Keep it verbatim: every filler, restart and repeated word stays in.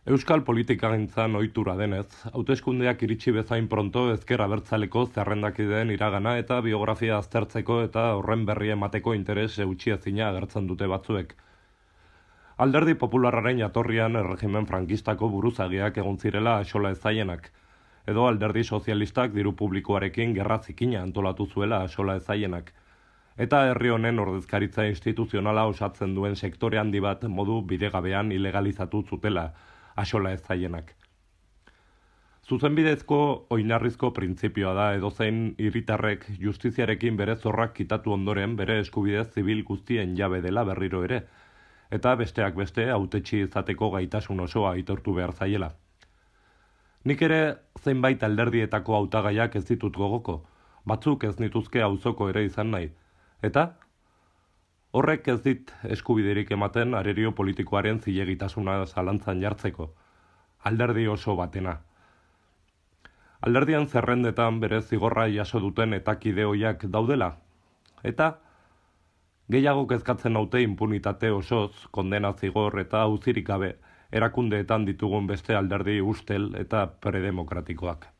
Euskal politikagintzan ohitura denez, hauteskundeak iritsi bezain pronto ezker abertzaleko zerrendakideen iragana eta biografia aztertzeko eta horren berri emateko interes eutxiezina agertzen dute batzuek. Alderdi popularraren jatorrian erregimen frankistako buruzagiak egon zirela axola ezaienak, edo alderdi sozialistak diru publikoarekin gerra zikina antolatu zuela axola ezaienak, eta herri honen ordezkaritza instituzionala osatzen duen sektore handi bat modu bidegabean ilegalizatu zutela axola ezaienak. Zuzenbidezko oinarrizko printzipioa da edozein hiritarrek justiziarekin bere zorrak kitatu ondoren bere eskubide zibil guztien jabe dela berriro ere, eta besteak beste hautetsi izateko gaitasun osoa aitortu behar zaiela. Nik ere zenbait alderdietako hautagaiak ez ditut gogoko, batzuk ez nituzke auzoko ere izan nahi, eta horrek ez dit eskubiderik ematen arerio politikoaren zilegitasuna zalantzan jartzeko, alderdi oso batena. Alderdian zerrendetan bere zigorra jaso duten etakide hoiak daudela, eta gehiago kezkatzen naute impunitate osoz, kondena zigor eta auzirik gabe erakundeetan ditugun beste alderdi ustel eta predemokratikoak.